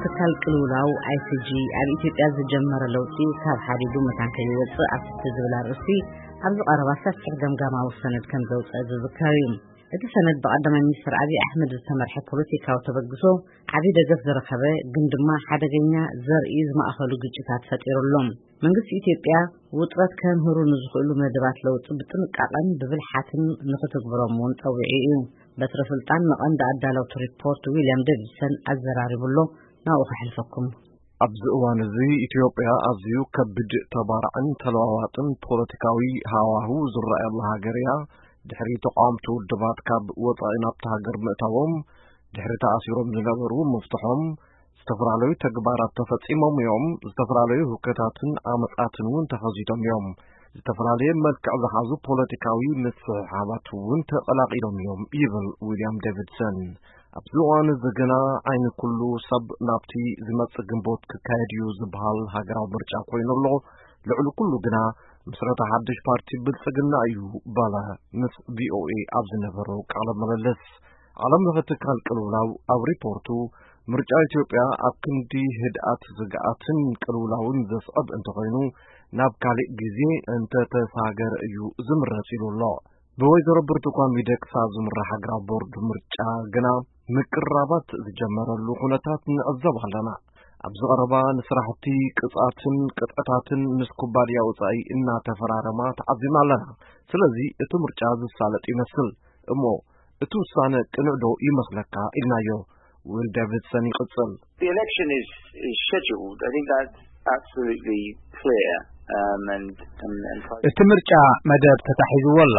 ትካል ቅልውላው ኣይሲጂ ኣብ ኢትዮጵያ ዝጀመረ ለውጢ ካብ ሓዲዱ መታን ከይወፅእ ኣብ ትሕቲ ዝብል ኣርእስቲ ኣብዚ ቀረባ ሰፊሕ ገምጋማዊ ሰነድ ከም ዘውፅአ ዝዝከር እዩ። እቲ ሰነድ ብቀዳማይ ሚኒስትር ኣብይ ኣሕመድ ዝተመርሐ ፖለቲካዊ ተበግሶ ዓብዪ ደገፍ ዝረኸበ ግን ድማ ሓደገኛ ዘርኢ ዝማእኸሉ ግጭታት ፈጢሩ ኣሎ። መንግስቲ ኢትዮጵያ ውጥረት ከምህሩ ንዝኽእሉ መደባት ለውጢ ብጥንቃቐን ብብልሓትን ንኽትግብሮም እውን ጸዊዑ እዩ። በትረ ስልጣን ንቐንዲ ኣዳለውቲ ሪፖርት ዊልያም ዴቪድሰን ኣዘራሪቡ ኣሎ። ናብኡ ከሕልፈኩም። ኣብዚ እዋን እዚ ኢትዮጵያ ኣዝዩ ከቢድ ተባራዕን ተለዋዋጥን ፖለቲካዊ ሃዋህው ዝረኣየላ ሃገር እያ። ድሕሪ ተቃወምቲ ውድባት ካብ ወጻኢ ናብታ ሃገር ምእታዎም፣ ድሕሪ ተኣሲሮም ዝነበሩ ምፍትሖም፣ ዝተፈላለዩ ተግባራት ተፈጺሞም እዮም። ዝተፈላለዩ ህውከታትን ዓመጻትን እውን ተኸሲቶም እዮም። ዝተፈላለየ መልክዕ ዝሓዙ ፖለቲካዊ ምስሕሓባት እውን ተቐላቒሎም እዮም ይብል ዊልያም ዴቪድሰን። ኣብዚ እዋን እዚ ግና ዓይኒ ኩሉ ሰብ ናብቲ ዝመጽእ ግንቦት ክካየድ እዩ ዝበሃል ሃገራዊ ምርጫ ኮይኑ ኣሎ። ልዕሊ ኩሉ ግና ምስረታ ሓድሽ ፓርቲ ብልጽግና እዩ በለ ምስ ቪኦኤ ኣብ ዝነበሮ ቃለ ምልልስ። ዓለም ለኸ ትካል ቅልውላው ኣብ ሪፖርቱ ምርጫ ኢትዮጵያ ኣብ ክንዲ ህድኣት ስግኣትን ቅልውላውን ዘስዕብ እንተኾይኑ ናብ ካልእ ግዜ እንተተሳገረ እዩ ዝምረጽ ኢሉ ኣሎ። ብወይዘሮ ብርቱካን ሚደቅሳ ዝምራሕ ሃገራዊ ቦርድ ምርጫ ግና ምቅርራባት ዝጀመረሉ ኩነታት ንዕዘብ ኣለና። ኣብዚ ቀረባ ንስራሕቲ ቅጻትን ቅጥዕታትን ምስ ኩባንያ ወጻኢ እናተፈራረማ ተዓዚብና ኣለና። ስለዚ እቲ ምርጫ ዝሳለጥ ይመስል። እሞ እቲ ውሳነ ቅኑዕ ዶ ይመስለካ ኢልናዮ። ዊል ዴቪድሰን ይቕጽል። The election is, is scheduled. I think that's absolutely clear. Um, and, and, and እቲ ምርጫ መደብ ተታሒዝዎ ኣሎ።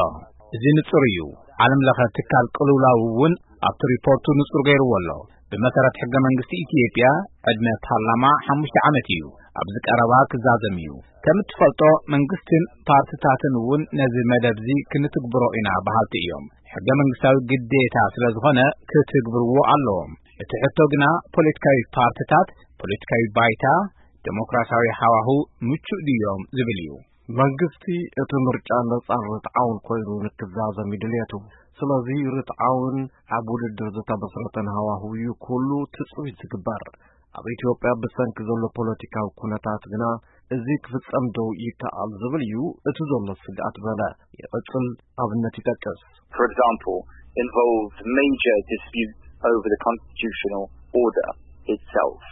እዚ ንጹር እዩ። ዓለም ለኸ ትካል ቅልውላው እውን ኣብቲ ሪፖርቱ ንጹር ገይርዎ ኣሎ። ብመሰረት ሕገ መንግስቲ ኢትዮጵያ ዕድመ ፓርላማ ሓሙሽተ ዓመት እዩ። ኣብዚ ቀረባ ክዛዘም እዩ። ከም እትፈልጦ መንግስትን ፓርትታትን እውን ነዚ መደብዚ ክንትግብሮ ኢና በሃልቲ እዮም። ሕገ መንግስታዊ ግዴታ ስለ ዝኾነ ክትግብርዎ ኣለዎም። እቲ ሕቶ ግና ፖለቲካዊ ፓርትታት፣ ፖለቲካዊ ባይታ፣ ዴሞክራሲያዊ ሃዋሁ ምቹእ ድዮም ዝብል እዩ። መንግስቲ እቲ ምርጫ ነጻን ርትዓውን ኮይኑ ንክዛዘም እዩ ድልየቱ። ስለዚ ርትዓውን ኣብ ውድድር ዝተመስረተን ሃዋሁ እዩ ኩሉ ትጽቢት ዝግበር። ኣብ ኢትዮጵያ ብሰንኪ ዘሎ ፖለቲካዊ ኩነታት ግና እዚ ክፍጸም ዶ ይከኣል ዝብል እዩ እቲ ዘሎ ስግኣት በለ። ይቕጽል ኣብነት ይጠቅስ። For example, involved major disputes over the constitutional order itself.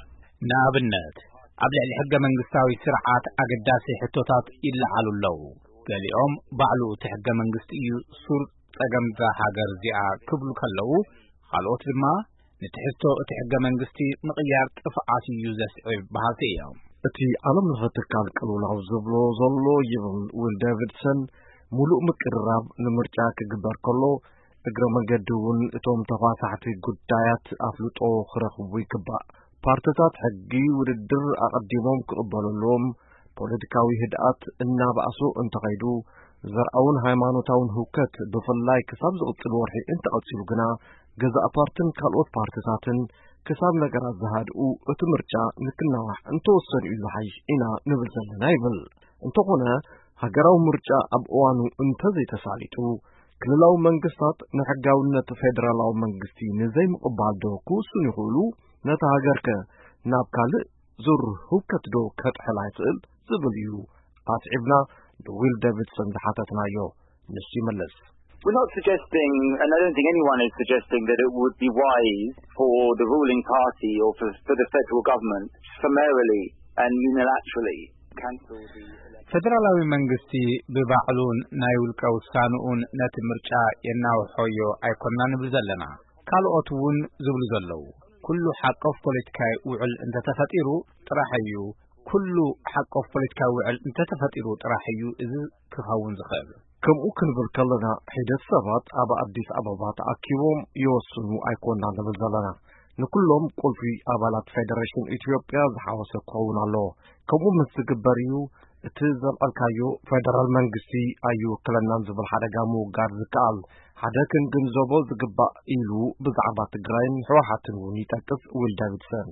ንኣብነት ኣብ ልዕሊ ሕገ መንግስታዊ ስርዓት ኣገዳሲ ሕቶታት ይለዓሉ ኣለዉ። ገሊኦም ባዕሉ እቲ ሕገ መንግስቲ እዩ ሱር ጸገም እዛ ሃገር እዚኣ ክብሉ ከለዉ፣ ካልኦት ድማ ንትሕዝቶ እቲ ሕገ መንግስቲ ምቕያር ጥፍዓት እዩ ዘስዕብ በሃልቲ እዮም። እቲ ዓለም ለኸ ትካል ቅልውላው ዝብሎ ዘሎ ይብል ዊል ዴቪድሰን፣ ሙሉእ ምቅርራብ ንምርጫ ክግበር ከሎ እግረ መንገዲ እውን እቶም ተኳሳሕቲ ጉዳያት ኣፍልጦ ክረኽቡ ይግባእ። ፓርትታት ሕጊ ውድድር ኣቐዲሞም ክቕበሉ ኣለዎም። ፖለቲካዊ ህድኣት እናባእሶ እንተኸይዱ፣ ዘርኣውን ሃይማኖታውን ህውከት ብፍላይ ክሳብ ዝቕጽል ወርሒ እንተቐጺሉ ግና፣ ገዛእ ፓርትን ካልኦት ፓርትታትን ክሳብ ነገራት ዝሃድኡ እቲ ምርጫ ንክናዋሕ እንተወሰኑ እዩ ዝሓይሽ ኢና ንብል ዘለና ይብል። እንተኾነ፣ ሃገራዊ ምርጫ ኣብ እዋኑ እንተዘይተሳሊጡ፣ ክልላዊ መንግስታት ንሕጋውነት ፌደራላዊ መንግስቲ ንዘይምቕባል ዶ ክውስኑ ይኽእሉ? ነታ ሃገር ከ ናብ ካልእ ዙር ህውከት ዶ ከጥሕላ ይኽእል ዝብል እዩ ኣስዒብና ንዊል ዴቪድሰን ዝሓተትናዮ። ንሱ ይመልስ። We're not suggesting, and I don't think anyone is suggesting, that it would be wise for the ruling party or for, for the federal government to summarily and unilaterally cancel the election. ፈደራላዊ መንግስቲ ብባዕሉን ናይ ውልቀ ውሳንኡን ነቲ ምርጫ የናውሖዮ ኣይኮንና ንብል ዘለና። ካልኦት እውን ዝብሉ ዘለዉ፣ ኩሉ ሓቆፍ ፖለቲካዊ ውዕል እንተተፈጢሩ ጥራሕ እዩ፣ ኩሉ ሓቆፍ ፖለቲካዊ ውዕል እንተተፈጢሩ ጥራሕ እዩ እዚ ክኸውን ዝኽእል። ከምኡ ክንብል ከለና፣ ሒደት ሰባት ኣብ ኣዲስ ኣበባ ተኣኪቦም ይወስኑ ኣይኮንና ንብል ዘለና። ንኩሎም ቁልፊ ኣባላት ፌደሬሽን ኢትዮጵያ ዝሓወሰ ክኸውን ኣለዎ። ከምኡ ምስ ዝግበር እዩ እቲ ዘልዐልካዮ ፌደራል መንግስቲ ኣይውክለናን ዝብል ሓደጋ ምውጋድ ዝከኣል። ሓደ ክንግንዘቦ ዝግባእ ኢሉ ብዛዕባ ትግራይን ህወሓትን እውን ይጠቅስ ዊል ዳቪድሰን።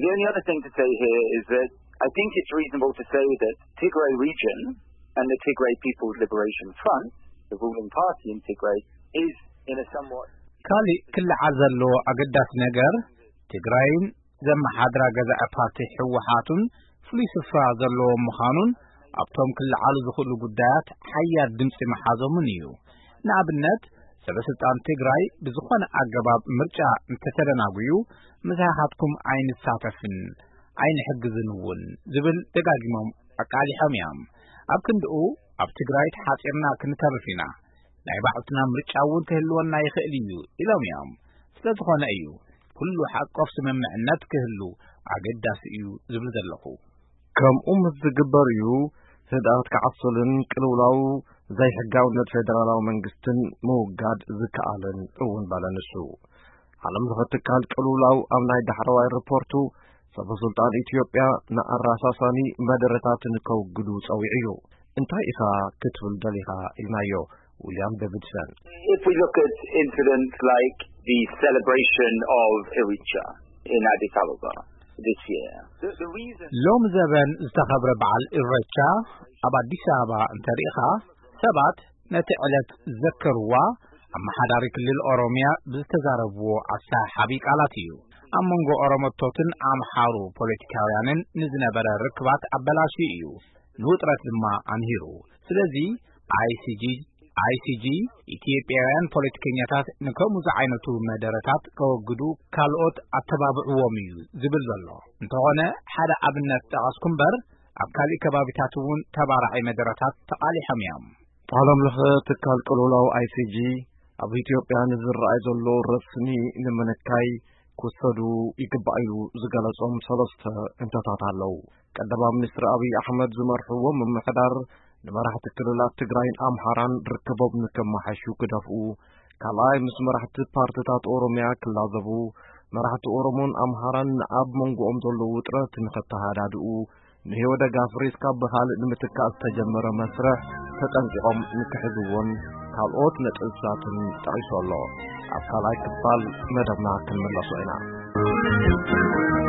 The only other thing to say here is that I think it's reasonable to say that Tigray region and the Tigray People's Liberation Front, the ruling party in Tigray, is in a somewhat ካሊእ ክለዓል ዘለዎ ኣገዳሲ ነገር ትግራይን ዘመሓድራ ገዛኢ ፓርቲ ህወሓት እውን ፍሉይ ስፍራ ዘለዎ ምዃኑን ኣብቶም ክለዓሉ ዝኽእሉ ጉዳያት ሓያል ድምፂ ምሓዞምን እዩ። ንኣብነት፣ ሰበ ስልጣን ትግራይ ብዝኾነ ኣገባብ ምርጫ እንተተደናጉዩ፣ ምሳኻትኩም ኣይንሳተፍን ኣይንሕግዝን እውን ዝብል ደጋጊሞም ኣቃሊሖም እዮም። ኣብ ክንድኡ፣ ኣብ ትግራይ ተሓፂርና ክንተርፍ ኢና፣ ናይ ባዕልና ምርጫ እውን ክህልወና ይኽእል እዩ ኢሎም እዮም። ስለ ዝኾነ እዩ ኩሉ ሓቆፍ ስምምዕነት ክህሉ ኣገዳሲ እዩ ዝብል ዘለኹ። ከምኡ ምስ ዝግበር እዩ ህድኣት ክዓስልን ቅልውላው ዘይሕጋውነት ፌደራላዊ መንግስትን ምውጋድ ዝከኣልን እውን፣ በለ ንሱ። ዓለም ለኸ ትካል ቅልውላው ኣብ ናይ ዳሕረዋይ ሪፖርቱ፣ ሰበ ስልጣን ኢትዮጵያ ንኣራሳሳኒ መደረታትን ከውግዱ ጸዊዑ እዩ። እንታይ ኢኻ ክትብል ደሊኻ ኢልናዮ ዊልያም ዴቪድሰን። If we look at incidents like the celebration of Irrecha in Addis Ababa this year, the, the reason ሎም ዘበን ዝተኸብረ በዓል ኢሬቻ ኣብ ኣዲስ ኣበባ እንተሪኢኻ፣ ሰባት ነቲ ዕለት ዘከርዋ፣ ኣመሓዳሪ ክልል ኦሮሚያ ብዝተዛረብዎ ኣሰሓሓቢ ቃላት እዩ። ኣብ መንጎ ኦሮሞቶትን ኣምሓሩ ፖለቲካውያንን ንዝነበረ ርክባት ኣበላሽዩ እዩ፣ ንውጥረት ድማ ኣምሂሩ። ስለዚ፣ ኣይሲጂ ኣይሲጂ፣ ኢትዮጵያውያን ፖለቲከኛታት ንከምኡ ዝዓይነቱ መደረታት ከወግዱ ካልኦት ኣተባብዕዎም እዩ ዝብል ዘሎ። እንተኾነ፣ ሓደ ኣብነት ጠቐስኩ እምበር፣ ኣብ ካሊእ ከባቢታት እውን ተባራዒ መደረታት ተቓሊሖም እዮም። ዓለም ለኸ ትካል ቅልውላው ኣይሲጂ፣ ኣብ ኢትዮጵያ ንዝረኣይ ዘሎ ረስኒ ንምንካይ ክወሰዱ ይግባእ ኢሉ ዝገለጾም ሰለስተ እንተታት ኣለዉ። ቀዳማይ ሚኒስትር ኣብይ ኣሕመድ ዝመርሕዎ ምምሕዳር፣ ንመራሕቲ ክልላት ትግራይን ኣምሓራን ርክቦም ንከመሓሹ ክደፍኡ፣ ካልኣይ ምስ መራሕቲ ፓርትታት ኦሮሚያ ክላዘቡ፣ መራሕቲ ኦሮሞን ኣምሓራን ኣብ መንጎኦም ዘሎ ውጥረት ንኸተሃዳድኡ፣ ንህይወደግ ኣፍሪካ ብኻልእ ንምትካእ ዝተጀመረ መስርሕ ተጠንቂቖም ንክሕዝዎን ካልኦት ነጥብታትን ጠቒሱ ኣሎ። ኣብ ካልኣይ ክፋል መደብና ክንምለሶ ኢና።